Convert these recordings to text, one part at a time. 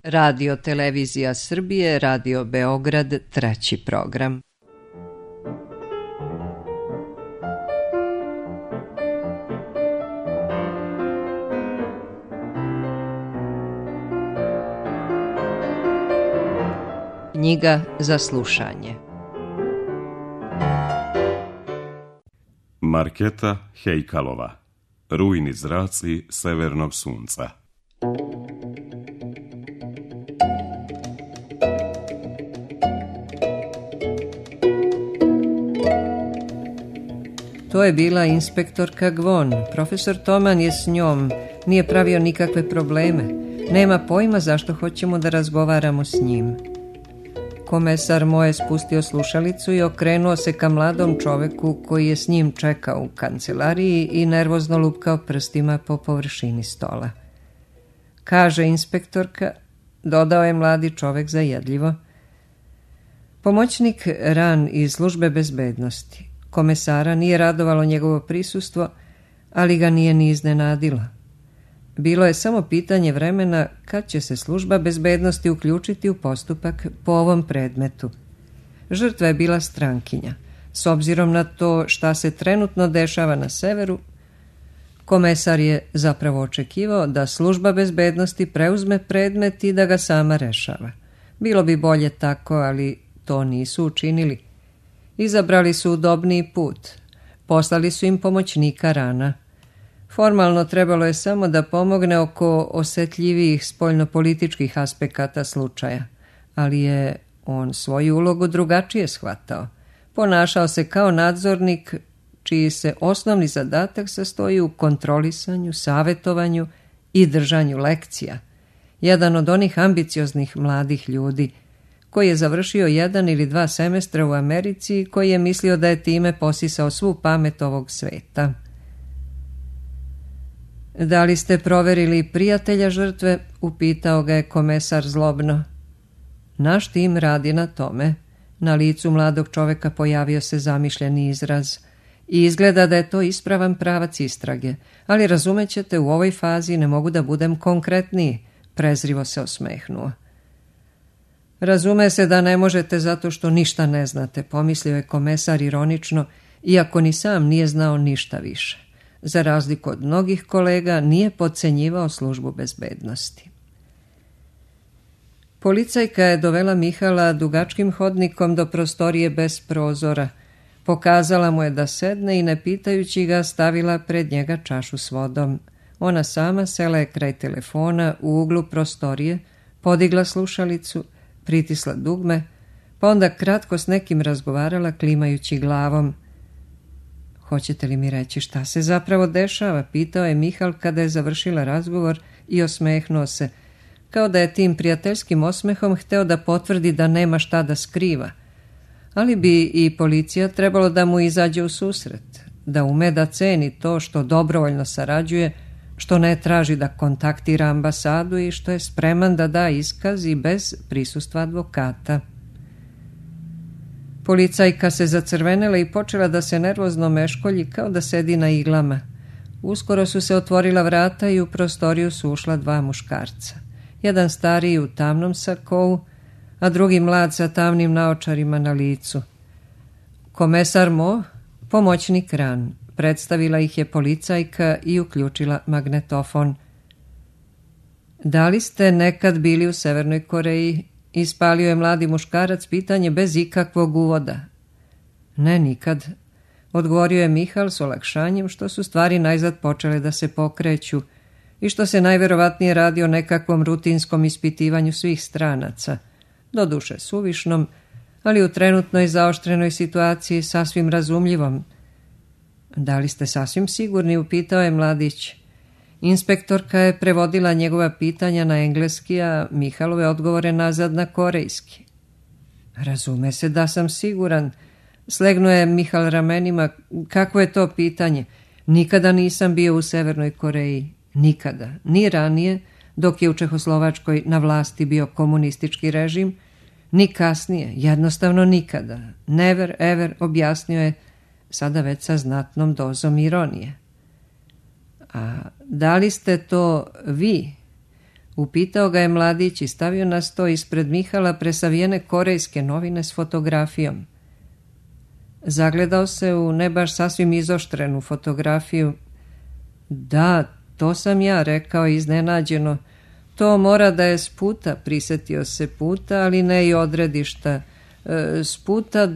Radio Televizija Srbije, Radio Beograd, treći program. Knjiga za slušanje. Marketa Hejkalova. Rujni zraci severnog sunca. To je bila inspektorka Gvon. Profesor Toman je s njom. Nije pravio nikakve probleme. Nema pojma zašto hoćemo da razgovaramo s njim. Komesar Mo je spustio slušalicu i okrenuo se ka mladom čoveku koji je s njim čekao u kancelariji i nervozno lupkao prstima po površini stola. Kaže inspektorka, dodao je mladi čovek zajedljivo. Pomoćnik Ran iz službe bezbednosti. Komesara nije radovalo njegovo prisustvo, ali ga nije ni iznenadilo. Bilo je samo pitanje vremena kad će se služba bezbednosti uključiti u postupak po ovom predmetu. Žrtva je bila strankinja. S obzirom na to šta se trenutno dešava na severu, komesar je zapravo očekivao da služba bezbednosti preuzme predmet i da ga sama rešava. Bilo bi bolje tako, ali to nisu učinili. Izabrali su udobniji put. Poslali su im pomoćnika Rana. Formalno trebalo je samo da pomogne oko osetljivijih spoljnopolitičkih aspekata slučaja, ali je on svoju ulogu drugačije shvatao. Ponašao se kao nadzornik čiji se osnovni zadatak sastoji u kontrolisanju, savetovanju i držanju lekcija. Jedan od onih ambicioznih mladih ljudi koji je završio 1 ili 2 semestra u Americi i koji je mislio da je time posisao svu pamet ovog sveta. Da li ste proverili prijatelja žrtve? Upitao ga je komesar zlobno. Naš tim radi na tome. Na licu mladog čoveka pojavio se zamišljeni izraz i izgleda da je to ispravan pravac istrage, ali razumećete, u ovoj fazi ne mogu da budem konkretniji, prezrivo se osmehnuo. Razume se da ne možete zato što ništa ne znate, pomislio je komesar ironično, iako ni sam nije znao ništa više. Za razliku od mnogih kolega, nije podcenjivao službu bezbednosti. Policajka je dovela Mihala dugačkim hodnikom do prostorije bez prozora. Pokazala mu je da sedne i ne pitajući ga stavila pred njega čašu s vodom. Ona sama sela je kraj telefona u uglu prostorije, podigla slušalicu, pritisla dugme, pa onda kratko s nekim razgovarala klimajući glavom. Hoćete li mi reći šta se zapravo dešava? Pitao je Mihal kada je završila razgovor i osmehnuo se, kao da je tim prijateljskim osmehom hteo da potvrdi da nema šta da skriva. Ali bi i policija trebalo da mu izađe u susret, da ume da ceni to što dobrovoljno sarađuje, što ne traži da kontaktira ambasadu i što je spreman da da iskaz i bez prisustva advokata. Policajka se zacrvenela i počela da se nervozno meškolji kao da sedi na iglama. Uskoro su se otvorila vrata i u prostoriju su ušla 2 muškarca. Jedan stariji u tamnom sakou, a drugi mlad sa tamnim naočarima na licu. Komesar Mo, pomoćnik Ran. Predstavila ih je policajka i uključila magnetofon. Da li ste nekad bili u Severnoj Koreji? Ispalio je mladi muškarac pitanje bez ikakvog uvoda. Ne, nikad, odgovorio je Mihal s olakšanjem što su stvari najzad počele da se pokreću i što se najverovatnije radi o nekakvom rutinskom ispitivanju svih stranaca, doduše suvišnom, ali u trenutnoj zaoštrenoj situaciji sasvim razumljivom. Da li ste sasvim sigurni? Upitao je mladić. Inspektorka je prevodila njegova pitanja na engleski, a Mihalove odgovore nazad na korejski. Razume se da sam siguran. Slegnuo je Mihal ramenima. Kako je to pitanje? Nikada nisam bio u Severnoj Koreji. Nikada. Ni ranije, dok je u Čehoslovačkoj na vlasti bio komunistički režim, ni kasnije. Jednostavno nikada. Never ever, objasnio je, sada već sa znatnom dozom ironije. A da li ste to vi? Upitao ga je mladić i stavio na sto ispred Mihala presavijene korejske novine s fotografijom. Zagledao se u ne baš sasvim izoštrenu fotografiju. Da, to sam ja, rekao iznenađeno. To mora da je s puta, prisetio se puta, ali ne i odredišta. S puta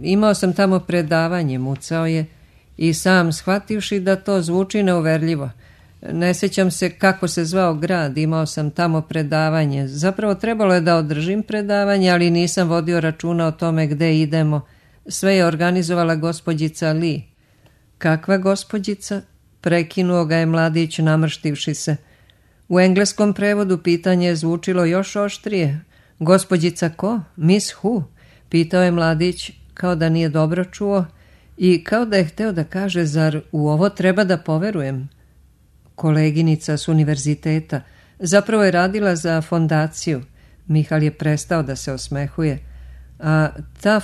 imao sam tamo predavanje, mucao je, i sam shvativši da to zvuči neuverljivo. Ne sjećam se kako se zvao grad, imao sam tamo predavanje. Zapravo trebalo je da održim predavanje, ali nisam vodio računa o tome gde idemo. Sve je organizovala gospođica Lee. Kakva gospođica? Prekinuo ga je mladić namrštivši se. U engleskom prevodu pitanje je zvučilo još oštrije. Gospođica ko? Miss Who? Pitao je mladić kao da nije dobro čuo i kao da je hteo da kaže, zar u ovo treba da poverujem? Koleginica s univerziteta. Zapravo je radila za fondaciju. Mihal je prestao da se osmehuje. A ta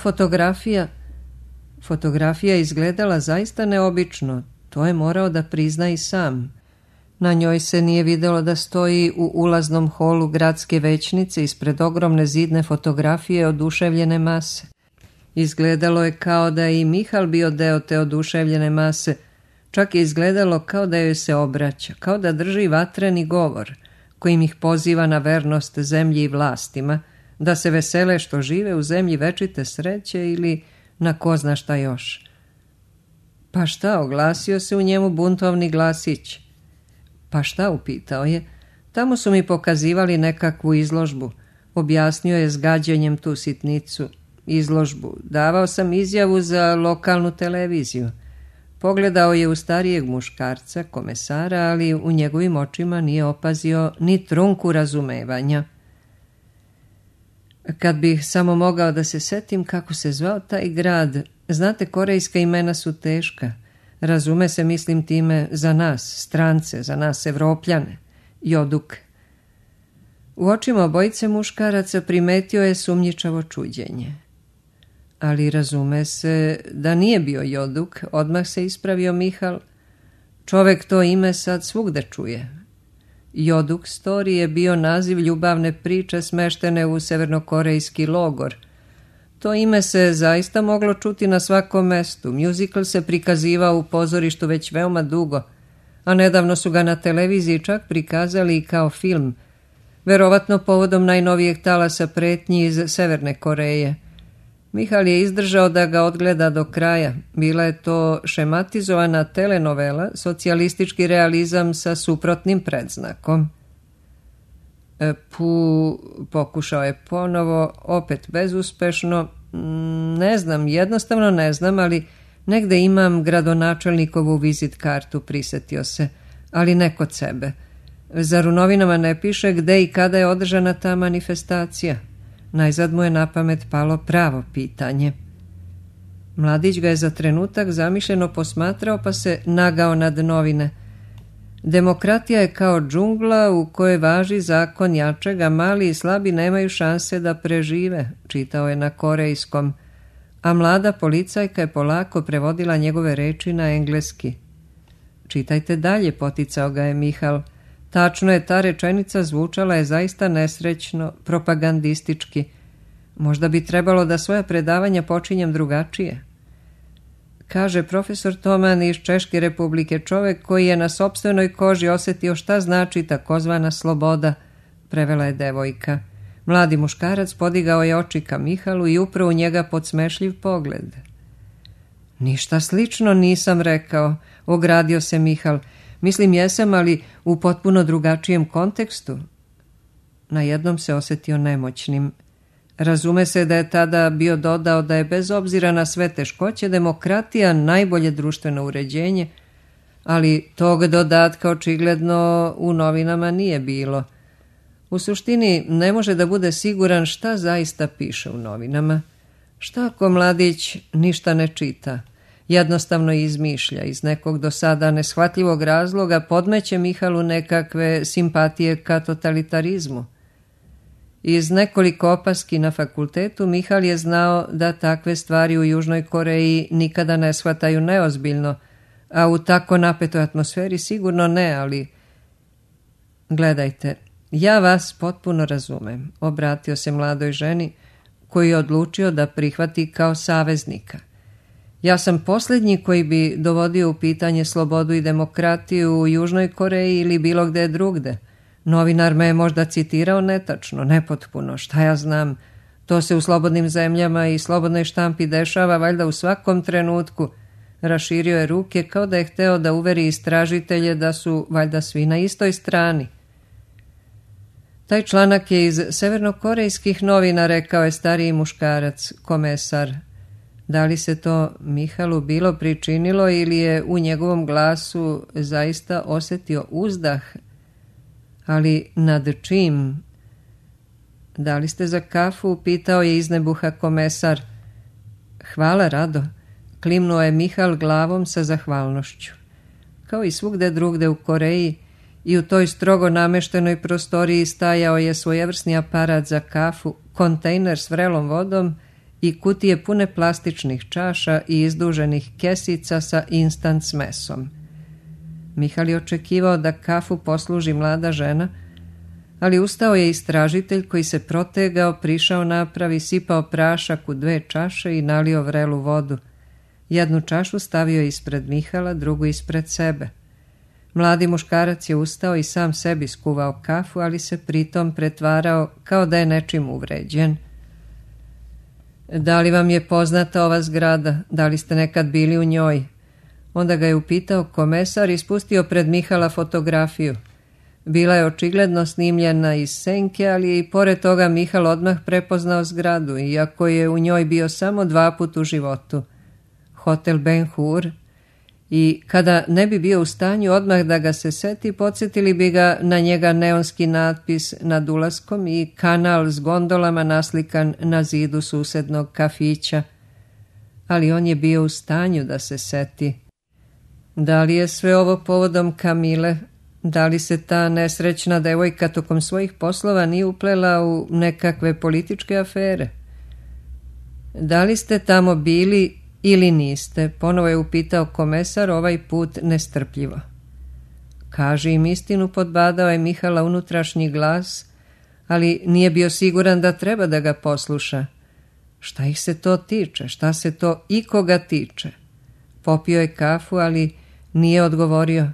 fotografija izgledala zaista neobično. To je morao da prizna i sam. Na njoj se nije videlo da stoji u ulaznom holu gradske većnice ispred ogromne zidne fotografije oduševljene mase. Izgledalo je kao da je i Mihal bio deo te oduševljene mase. Čak je izgledalo kao da joj se obraća, kao da drži vatreni govor, kojim ih poziva na vernost zemlji i vlastima, da se vesele što žive u zemlji večite sreće ili na ko zna šta još. Pa šta, oglasio se u njemu buntovni glasić. Pa šta, upitao je. Tamo su mi pokazivali nekakvu izložbu. Objasnio je s gađenjem tu sitnicu. Izložbu. Davao sam izjavu za lokalnu televiziju. Pogledao je u starijeg muškarca, komesara, ali u njegovim očima nije opazio ni trunku razumevanja. Kad bih samo mogao da se setim kako se zvao taj grad. Znate, korejska imena su teška. Razume se, mislim time, za nas, strance, za nas, Evropljane. Joduk. U očima obojice muškaraca primetio je sumnjičavo čuđenje. Ali razume se da nije bio Joduk, odmah se ispravio Mihal. Čovek to ime sad svugde čuje. Joduk Story je bio naziv ljubavne priče smeštene u severnokorejski logor. To ime se zaista moglo čuti na svakom mestu. Musical se prikazivao u pozorištu već veoma dugo, a nedavno su ga na televiziji čak prikazali i kao film, verovatno povodom najnovijeg talasa pretnji iz Severne Koreje. Mihal je izdržao da ga odgleda do kraja. Bila je to šematizovana telenovela, socijalistički realizam sa suprotnim predznakom. Pokušao je ponovo, opet bezuspešno. Ne znam, jednostavno ne znam, ali negde imam gradonačelnikovu vizit kartu, prisetio se, ali ne kod sebe. Zar u novinama ne piše gde i kada je održana ta manifestacija? Najzad mu je na pamet palo pravo pitanje. Mladić ga je za trenutak zamišljeno posmatrao pa se nagao nad novine. Demokratija je kao džungla u kojoj važi zakon jačeg, a mali i slabi nemaju šanse da prežive, čitao je na korejskom, a mlada policajka je polako prevodila njegove reči na engleski. Čitajte dalje, poticao ga je Mihal. Tačno je, ta rečenica zvučala je zaista nesrećno, propagandistički. Možda bi trebalo da svoja predavanja počinjem drugačije. Kaže profesor Toman iz Češke republike, čovek koji je na sopstvenoj koži osjetio šta znači takozvana sloboda, prevela je devojka. Mladi muškarac podigao je oči ka Mihalu i upravo u njega podsmešljiv pogled. Ništa slično nisam rekao, ogradio se Mihal. Mislim jesam, ali u potpuno drugačijem kontekstu. Na jednom se osjetio nemoćnim. Razume se da je tada bio dodao da je bez obzira na sve teškoće demokratija najbolje društveno uređenje, ali tog dodatka očigledno u novinama nije bilo. U suštini ne može da bude siguran šta zaista piše u novinama. Šta ako mladić ništa ne čita? Jednostavno izmišlja, iz nekog do sada neshvatljivog razloga podmeće Mihalu nekakve simpatije ka totalitarizmu. Iz nekoliko opaski na fakultetu Mihal je znao da takve stvari u Južnoj Koreji nikada ne shvataju neozbiljno, a u tako napetoj atmosferi sigurno ne, ali... Gledajte, Ja vas potpuno razumem, obratio se mladoj ženi koji je odlučio da prihvati kao saveznika. Ja sam posljednji koji bi dovodio u pitanje slobodu i demokratiju u Južnoj Koreji ili bilo gde drugde. Novinar me je možda citirao netačno, nepotpuno, šta ja znam. To se u slobodnim zemljama i slobodnoj štampi dešava valjda u svakom trenutku. Raširio je ruke kao da je hteo da uveri istražitelje da su valjda svi na istoj strani. Taj članak je iz severnokorejskih novina, rekao je stariji muškarac, komesar. Da li se to Mihalu bilo pričinilo ili je u njegovom glasu zaista osjetio uzdah? Ali nad čim? Da li ste za kafu? Pitao je iznebuha komesar. Hvala, rado. Klimnuo je Mihal glavom sa zahvalnošću. Kao i svugde drugde u Koreji, i u toj strogo nameštenoj prostoriji stajao je svojevrsni aparat za kafu, kontejner s vrelom vodom i kutije pune plastičnih čaša i izduženih kesica sa instant smesom. Mihal je očekivao da kafu posluži mlada žena, ali ustao je istražitelj koji se protegao, prišao napravi, sipao prašak u 2 čaše i nalio vrelu vodu. Jednu čašu stavio ispred Mihala, drugu ispred sebe. Mladi muškarac je ustao i sam sebi skuvao kafu, ali se pritom pretvarao kao da je nečim uvređen. Da li vam je poznata ova zgrada? Da li ste nekad bili u njoj? Onda ga je upitao komesar i spustio pred Mihala fotografiju. Bila je očigledno snimljena iz senke, ali je i pored toga Mihal odmah prepoznao zgradu, iako je u njoj bio samo 2 puta u životu. Hotel Ben Hur. I kada ne bi bio u stanju odmah da ga se seti, podsjetili bi ga na njega neonski natpis nad ulaskom i kanal s gondolama naslikan na zidu susednog kafića. Ali on je bio u stanju da se seti. Da li je sve ovo povodom Kamile? Da li se ta nesrećna devojka tokom svojih poslova nije uplela u nekakve političke afere? Da li ste tamo bili ili niste? Ponovo je upitao komesar, ovaj put nestrpljivo. Kaži im istinu, podbadao je Mihala unutrašnji glas, ali nije bio siguran da treba da ga posluša. Šta ih se to tiče? Šta se to ikoga tiče? Popio je kafu, ali nije odgovorio.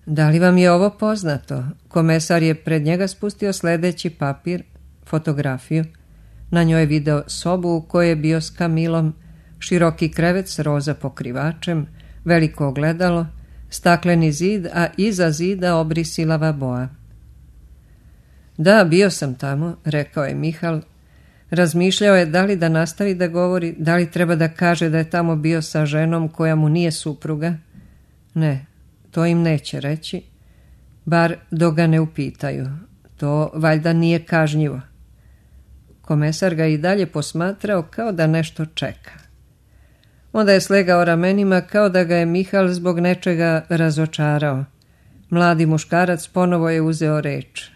Da li vam je ovo poznato? Komesar je pred njega spustio sljedeći papir, fotografiju. Na njoj je video sobu u kojoj je bio s Kamilom, široki krevet s roza pokrivačem, veliko ogledalo, stakleni zid, a iza zida obrisilava boa. Da, bio sam tamo, rekao je Mihal. Razmišljao je da li da nastavi da govori, da li treba da kaže da je tamo bio sa ženom koja mu nije supruga. Ne, to im neće reći, bar dok ga ne upitaju. To valjda nije kažnjivo. Komesar ga i dalje posmatrao kao da nešto čeka. Onda je slegao ramenima kao da ga je Mihal zbog nečega razočarao. Mladi muškarac ponovo je uzeo reč.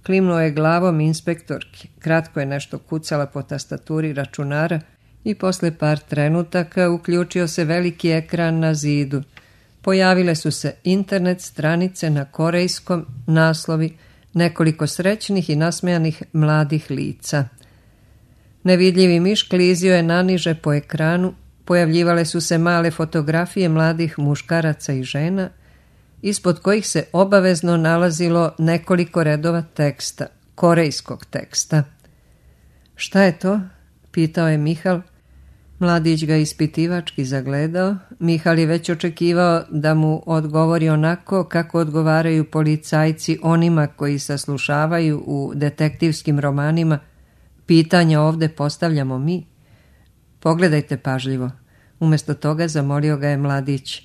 Klimnuo je glavom inspektorki. Kratko je nešto kucala po tastaturi računara i posle par trenutaka uključio se veliki ekran na zidu. Pojavile su se internet stranice na korejskom, naslovi, nekoliko srećnih i nasmejanih mladih lica. Nevidljivi miš klizio je naniže po ekranu, pojavljivale su se male fotografije mladih muškaraca i žena, ispod kojih se obavezno nalazilo nekoliko redova teksta, korejskog teksta. Šta je to? Pitao je Mihal. Mladić ga ispitivački zagledao. Mihal je već očekivao da mu odgovori onako kako odgovaraju policajci onima koji saslušavaju u detektivskim romanima. Pitanja ovde postavljamo mi. Pogledajte pažljivo. Umjesto toga zamolio ga je mladić.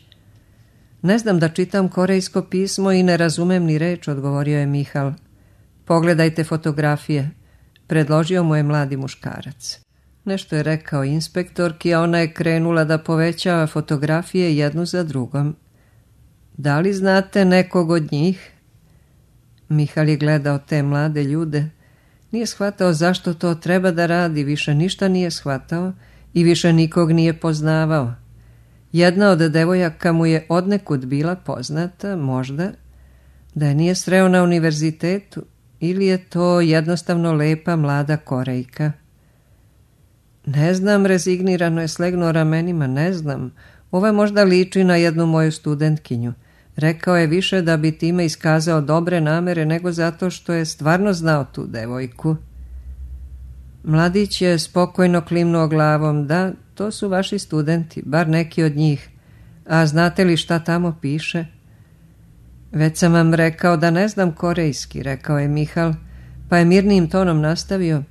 Ne znam da čitam korejsko pismo i ne razumem ni reč, odgovorio je Mihal. Pogledajte fotografije, predložio mu je mladi muškarac. Nešto je rekao inspektorki, a ona je krenula da povećava fotografije jednu za drugom. Da li znate nekog od njih? Mihal je gledao te mlade ljude. Nije shvatao zašto to treba da radi, više ništa nije shvatao i više nikog nije poznavao. Jedna od devojaka mu je odnekud bila poznata, možda, Da je nije sreo na univerzitetu ili je to jednostavno lepa mlada Korejka? Ne znam, rezignirano je slegnuo ramenima, ne znam. Ova možda liči na jednu moju studentkinju. Rekao je više da bi time iskazao dobre namere nego zato što je stvarno znao tu devojku. Mladić je spokojno klimnuo glavom. Da, to su vaši studenti, bar neki od njih. A znate li šta tamo piše? Već sam vam rekao da ne znam korejski, rekao je Mihal, pa je mirnijim tonom nastavio.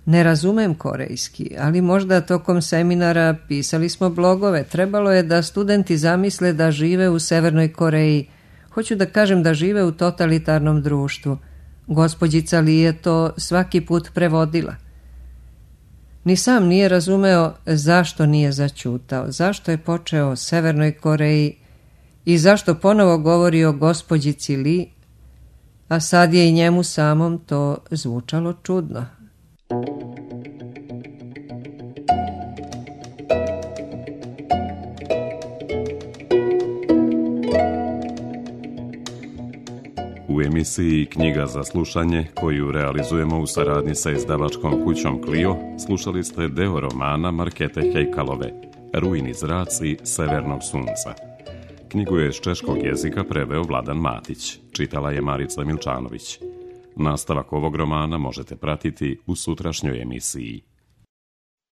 Ne razumem korejski, ali možda tokom seminara pisali smo blogove. Trebalo je da studenti zamisle da žive u Severnoj Koreji. Hoću da kažem da žive u totalitarnom društvu. Gospođica Li je to svaki put prevodila. Ni sam nije razumeo zašto nije zaćutao, zašto je počeo o Severnoj Koreji i zašto ponovo govori o gospođici Li, a sad je i njemu samom to zvučalo čudno. U emisiji Knjiga za slušanje, koju realizujemo u saradnji sa izdavačkom kućom Clio, slušali ste deo romana Markete Hejkalove, Rujni zraci severnog sunca. Knjigu je iz češkog jezika preveo Vladan Matić, čitala je Marica Milčanović. Nastavak ovog romana možete pratiti u sutrašnjoj emisiji.